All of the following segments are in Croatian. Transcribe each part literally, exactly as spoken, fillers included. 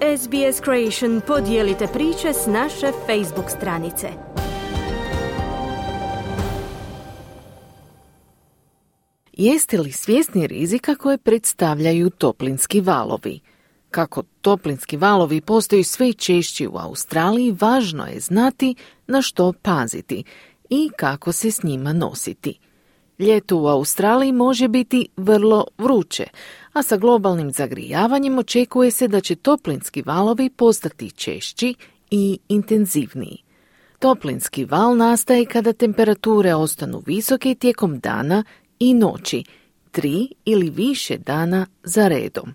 S B S Creation podijelite priče s naše Facebook stranice. Jeste li svjesni rizika koje predstavljaju toplinski valovi? Kako toplinski valovi postaju sve češći u Australiji, važno je znati na što paziti i kako se s njima nositi. Ljeto u Australiji može biti vrlo vruće, a sa globalnim zagrijavanjem očekuje se da će toplinski valovi postati češći i intenzivniji. Toplinski val nastaje kada temperature ostanu visoke tijekom dana i noći, tri ili više dana za redom.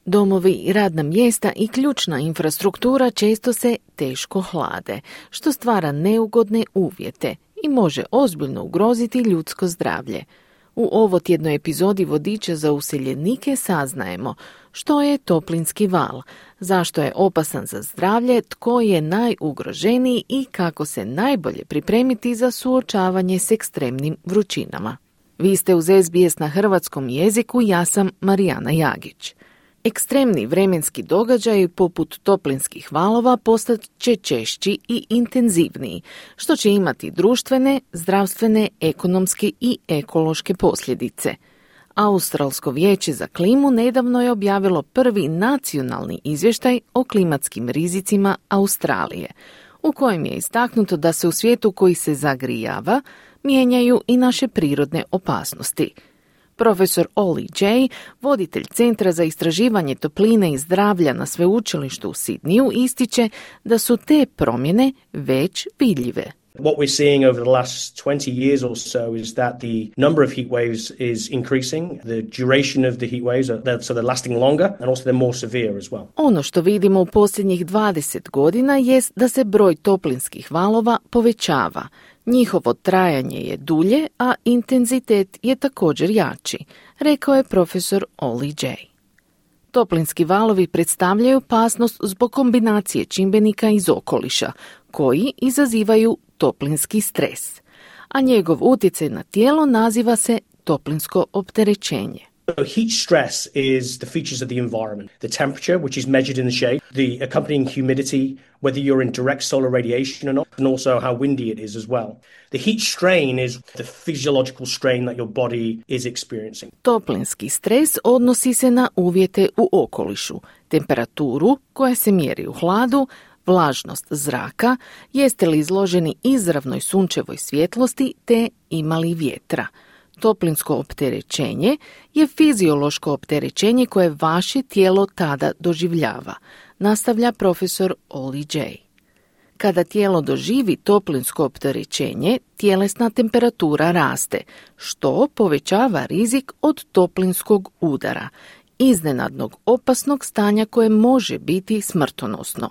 Domovi, radna mjesta i ključna infrastruktura često se teško hlade, što stvara neugodne uvjete i može ozbiljno ugroziti ljudsko zdravlje. U ovotjednoj epizodi Vodiča za useljenike saznajemo što je toplinski val, zašto je opasan za zdravlje, tko je najugroženiji i kako se najbolje pripremiti za suočavanje s ekstremnim vrućinama. Vi ste uz S B S na hrvatskom jeziku, ja sam Marijana Jagić. Ekstremni vremenski događaji poput toplinskih valova postat će češći i intenzivniji, što će imati društvene, zdravstvene, ekonomske i ekološke posljedice. Australsko vijeće za klimu nedavno je objavilo prvi nacionalni izvještaj o klimatskim rizicima Australije, u kojem je istaknuto da se u svijetu koji se zagrijava mijenjaju i naše prirodne opasnosti. Profesor Ollie Jay, voditelj Centra za istraživanje topline i zdravlja na sveučilištu u Sidniju, ističe da su te promjene već vidljive. What we're seeing over the last twenty years or so is that the number of heat waves is increasing, the duration of the heat waves, are, they're, so they're lasting longer and also they're more severe as well. Ono što vidimo u posljednjih dvadeset godina jest da se broj toplinskih valova povećava. Njihovo trajanje je dulje, a intenzitet je također jači, rekao je profesor Ollie Jay. Toplinski valovi predstavljaju opasnost zbog kombinacije čimbenika iz okoliša, koji izazivaju toplinski stres, a njegov utjecaj na tijelo naziva se toplinsko opterećenje. So heat stress is the features of the environment, the temperature, which is measured in the shade, the accompanying humidity, whether you're in direct solar radiation or not, and also how windy it is as well. The heat strain is the physiological strain that your body is experiencing. Toplinski stres odnosi se na uvjete u okolišu, temperaturu koja se mjeri u hladu, vlažnost zraka, jeste li izloženi izravnoj sunčevoj svjetlosti te imali vjetra. Toplinsko opterećenje je fiziološko opterećenje koje vaše tijelo tada doživljava, nastavlja profesor Ollie Jay. Kada tijelo doživi toplinsko opterećenje, tjelesna temperatura raste, što povećava rizik od toplinskog udara, iznenadnog opasnog stanja koje može biti smrtonosno.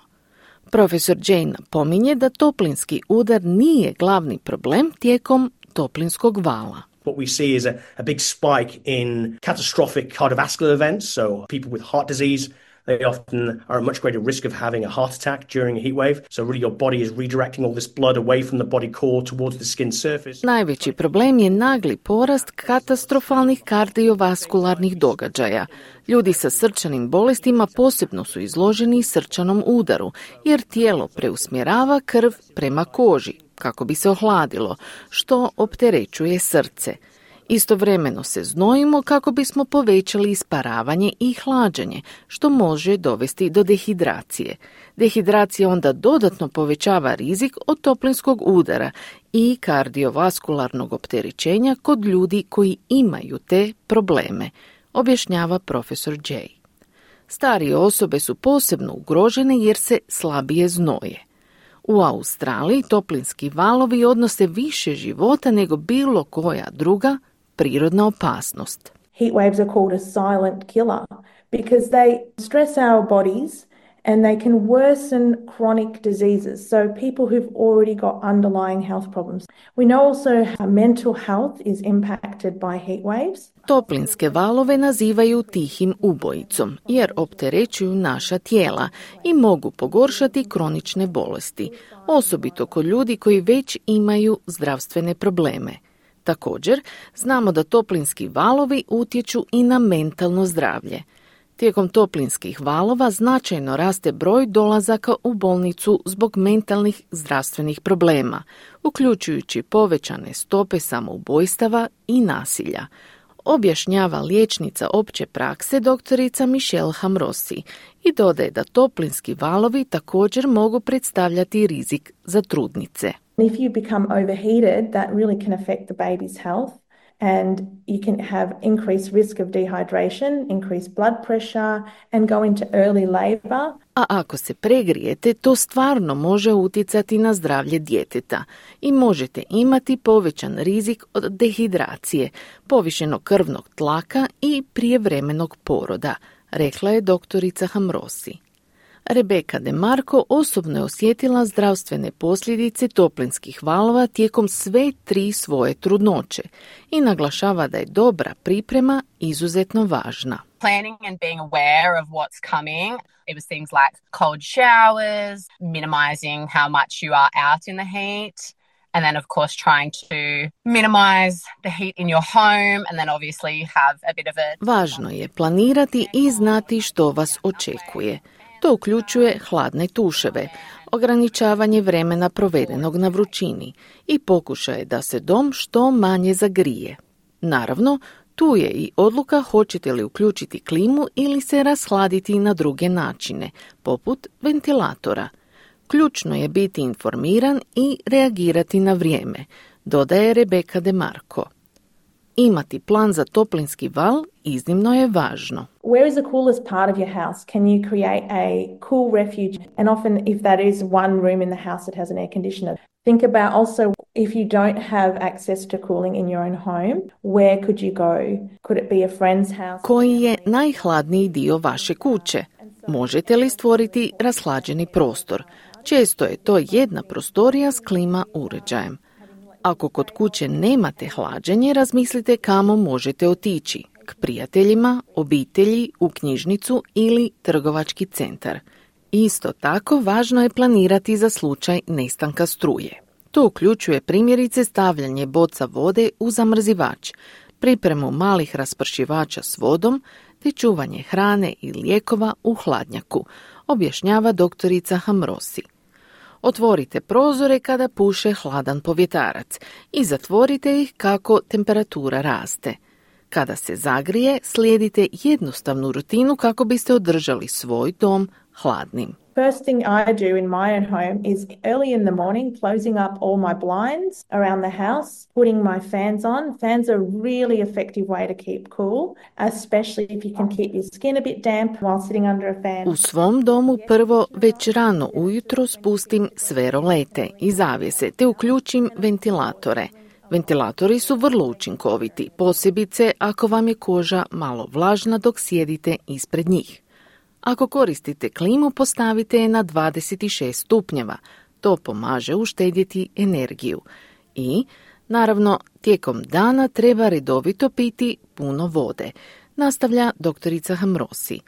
Profesor Jay napominje da toplinski udar nije glavni problem tijekom toplinskog vala. What we see is a, a big spike in catastrophic cardiovascular events, so people with heart disease, they often are at much greater risk of having a heart attack during a heat wave. So really your body is redirecting all this blood away from the body core towards the skin surface. Najveći problem je nagli porast katastrofalnih kardiovaskularnih događaja. Ljudi sa srčanim bolestima posebno su izloženi srčanom udaru, jer tijelo preusmjerava krv prema koži kako bi se ohladilo, što opterećuje srce. Istovremeno se znojimo kako bismo povećali isparavanje i hlađenje, što može dovesti do dehidracije. Dehidracija onda dodatno povećava rizik od toplinskog udara i kardiovaskularnog opterećenja kod ljudi koji imaju te probleme, objašnjava profesor Jay. Starije osobe su posebno ugrožene jer se slabije znoje. U Australiji toplinski valovi odnose više života nego bilo koja druga prirodna opasnost. Heat waves are called a silent killer because they stress our bodies and they can worsen chronic diseases. So people who've already got underlying health problems. We know also how mental health is impacted by heat waves. Toplinske valove nazivaju tihim ubojicom jer opterećuju naša tijela i mogu pogoršati kronične bolesti, osobito kod ljudi koji već imaju zdravstvene probleme. Također, znamo da toplinski valovi utječu i na mentalno zdravlje. Tijekom toplinskih valova značajno raste broj dolazaka u bolnicu zbog mentalnih zdravstvenih problema, uključujući povećane stope samoubojstava i nasilja, objašnjava liječnica opće prakse doktorica Michelle Hamrosi i dodaje da toplinski valovi također mogu predstavljati rizik za trudnice. If you become overheated, that really can affect the baby's health. And you can have increased risk of dehydration, increased blood pressure and go into early labor. A ako se pregrijete, to stvarno može utjecati na zdravlje djeteta i možete imati povećan rizik od dehidracije, povišenog krvnog tlaka i prijevremenog poroda, rekla je doktorica Hamrosi. Rebeka DeMarco osobno je osjetila zdravstvene posljedice toplinskih valova tijekom sve tri svoje trudnoće i naglašava da je dobra priprema izuzetno važna. Planning and being aware of what's coming. It was things like cold showers, minimizing how much you are out in the heat, and then of course trying to minimize the heat in your home and then obviously have a bit of a... Važno je planirati i znati što vas očekuje. To uključuje hladne tuševe, ograničavanje vremena provedenog na vrućini i pokušaj da se dom što manje zagrije. Naravno, tu je i odluka hoćete li uključiti klimu ili se rashladiti na druge načine, poput ventilatora. Ključno je biti informiran i reagirati na vrijeme, dodaje Rebeka DeMarco. Imati plan za toplinski val iznimno je važno. Where is the coolest part of your house? Can you create a cool refuge? And often if that is one room in the house that has an air conditioner. Think about also if you don't have access to cooling in your own home, where could you go? Could it be a friend's house? Koji je najhladniji dio vaše kuće? Možete li stvoriti rashlađeni prostor? Često je to jedna prostorija s klima uređajem. Ako kod kuće nemate hlađenje, razmislite kamo možete otići, k prijateljima, obitelji, u knjižnicu ili trgovački centar. Isto tako, važno je planirati za slučaj nestanka struje. To uključuje primjerice stavljanje boca vode u zamrzivač, pripremu malih raspršivača s vodom te čuvanje hrane i lijekova u hladnjaku, objašnjava doktorica Hamrosi. Otvorite prozore kada puše hladan povjetarac i zatvorite ih kako temperatura raste. Kada se zagrije, slijedite jednostavnu rutinu kako biste održali svoj dom hladnim. First thing I do in my own home is early in the morning closing up all my blinds around the house, putting my fans on. Fans are a really effective way to keep cool, especially if you can keep your skin a bit damp while sitting under a fan. U svom domu prvo već rano ujutro spustim sve rolete i zavjese te uključim ventilatore. Ventilatori su vrlo učinkoviti, posebice ako vam je koža malo vlažna dok sjedite ispred njih. Ako koristite klimu, postavite je na dvadeset šest stupnjeva. To pomaže uštedjeti energiju. I, naravno, tijekom dana treba redovito piti puno vode, nastavlja doktorica Hamrosi.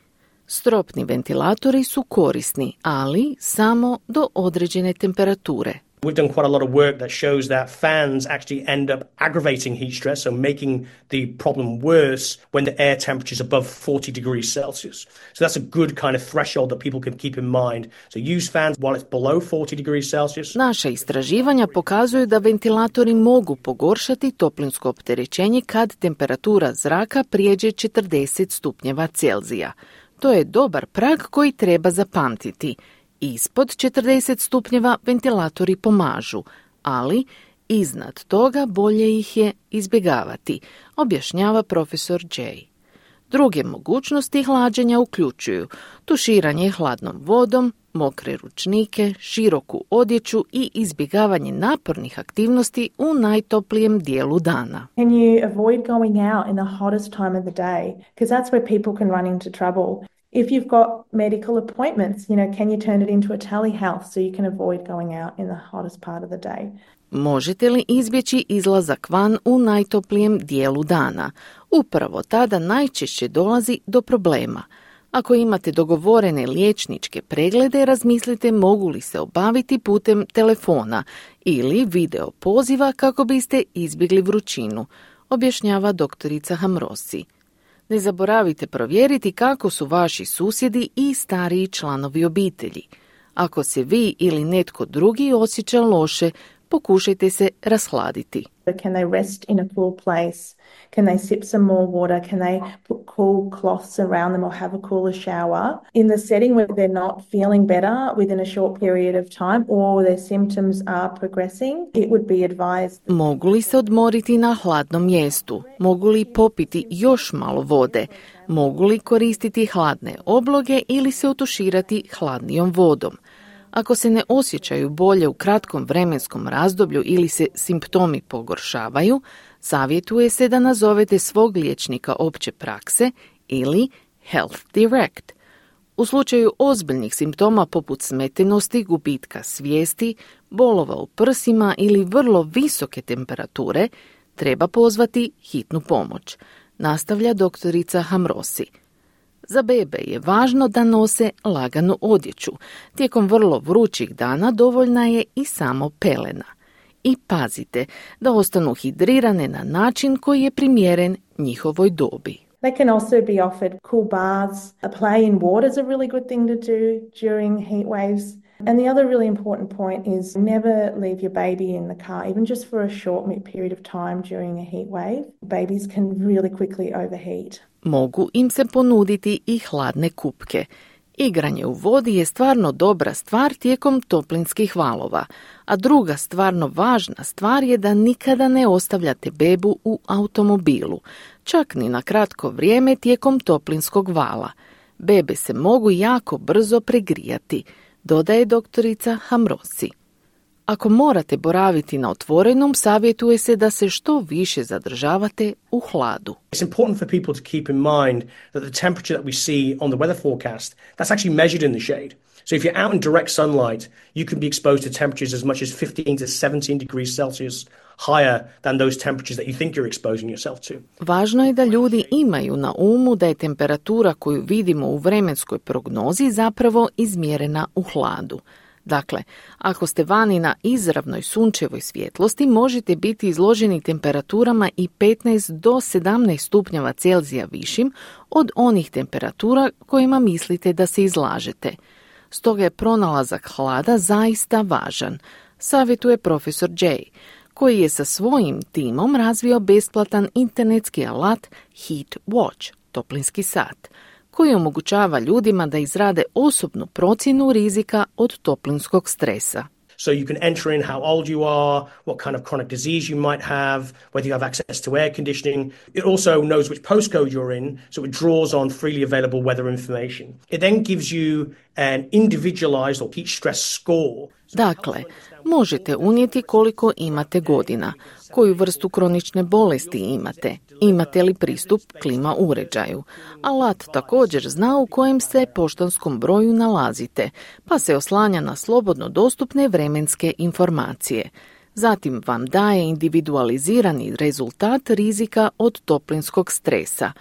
Stropni ventilatori su korisni, ali samo do određene temperature. We've done quite a lot of work that shows that fans actually end up aggravating heat stress, so making the problem worse when the air temperature is above forty degrees Celsius. So that's a good kind of threshold that people can keep in mind. So use fans while it's below forty degrees Celsius. Naša istraživanja pokazuju da ventilatori mogu pogoršati toplinsko opterećenje kad temperatura zraka prijeđe četrdeset stupnjeva Celzija. To je dobar prag koji treba zapamtiti. Ispod četrdeset stupnjeva ventilatori pomažu, ali iznad toga bolje ih je izbjegavati, objašnjava profesor Jay. Druge mogućnosti hlađenja uključuju tuširanje hladnom vodom, mokre ručnike, široku odjeću i izbjegavanje napornih aktivnosti u najtoplijem dijelu dana. Can you avoid going out in the hottest time of the day? Because that's where people can run into trouble. If you've got medical appointments, you know, can you turn it into a telehealth so you can avoid going out in the hottest part of the day? Možete li izbjeći izlazak van u najtoplijem dijelu dana? Upravo tada najčešće dolazi do problema. Ako imate dogovorene liječničke preglede, razmislite mogu li se obaviti putem telefona ili video poziva kako biste izbjegli vrućinu, objašnjava doktorica Hamrosi. Ne zaboravite provjeriti kako su vaši susjedi i stariji članovi obitelji. Ako se vi ili netko drugi osjeća loše, pokušajte se rashladiti. Can they rest in a cool place? Can they sip some more water? Can they put cool cloths around them or have a cooler shower? In the setting where they're not feeling better within a short period of time or their symptoms are progressing, it would be advised. Mogu li se odmoriti na hladnom mjestu? Mogu li popiti još malo vode? Mogu li koristiti hladne obloge ili se otuširati hladnijom vodom? Ako se ne osjećaju bolje u kratkom vremenskom razdoblju ili se simptomi pogoršavaju, savjetuje se da nazovete svog liječnika opće prakse ili Health Direct. U slučaju ozbiljnih simptoma poput smetenosti, gubitka svijesti, bolova u prsima ili vrlo visoke temperature, treba pozvati hitnu pomoć, nastavlja doktorica Hamrosi. Za bebe je važno da nose laganu odjeću. Tijekom vrlo vrućih dana dovoljna je i samo pelena. I pazite da ostanu hidrirane na način koji je primjeren njihovoj dobi. They can also be offered cool baths. A play in water is a really good thing to do during heat waves. And the other really important point is never leave your baby in the car, even just for a short period of time during a heat wave. Babies can really quickly overheat. Mogu im se ponuditi i hladne kupke. Igranje u vodi je stvarno dobra stvar tijekom toplinskih valova, a druga stvarno važna stvar je da nikada ne ostavljate bebu u automobilu, čak ni na kratko vrijeme tijekom toplinskog vala. Bebe se mogu jako brzo pregrijati, dodaje doktorica Hamrosi. Ako morate boraviti na otvorenom, savjetuje se da se što više zadržavate u hladu. It's important for people to keep in mind that the temperature that we see on the weather forecast, that's actually measured in the shade. So if you're out in direct sunlight, you can be exposed to temperatures as much as fifteen to seventeen degrees Celsius higher than those temperatures that you think you're exposing yourself to. Važno je da ljudi imaju na umu da je temperatura koju vidimo u vremenskoj prognozi zapravo izmjerena u hladu. Dakle, ako ste vani na izravnoj sunčevoj svjetlosti, možete biti izloženi temperaturama i petnaest do sedamnaest stupnjeva Celzija višim od onih temperatura kojima mislite da se izlažete. Stoga je pronalazak hlada zaista važan, savjetuje profesor Jay, koji je sa svojim timom razvio besplatan internetski alat Heat Watch, toplinski sat, koji omogućava ljudima da izrade osobnu procjenu rizika od toplinskog stresa. So you can enter in how old you are, what kind of chronic disease you might have, whether you have access to air conditioning. It also knows which postcode you're in, so it draws on freely available weather information. It then gives you an individualized or heat stress score. Dakle, možete unijeti koliko imate godina, koju vrstu kronične bolesti imate, imate li pristup klima uređaju. Alat također zna u kojem se poštanskom broju nalazite, pa se oslanja na slobodno dostupne vremenske informacije. Zatim vam daje individualizirani rezultat rizika od toplinskog stresa.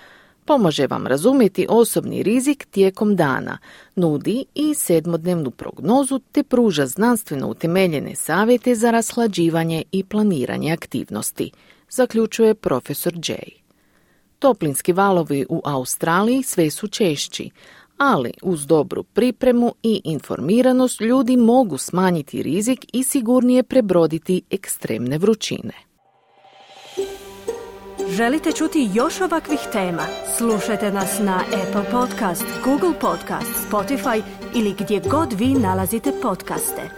Pomaže vam razumjeti osobni rizik tijekom dana, nudi i sedmodnevnu prognozu te pruža znanstveno utemeljene savjete za rashlađivanje i planiranje aktivnosti, zaključuje profesor Jay. Toplinski valovi u Australiji sve su češći, ali uz dobru pripremu i informiranost ljudi mogu smanjiti rizik i sigurnije prebroditi ekstremne vrućine. Želite čuti još ovakvih tema? Slušajte nas na Apple Podcast, Google Podcast, Spotify ili gdje god vi nalazite podcaste.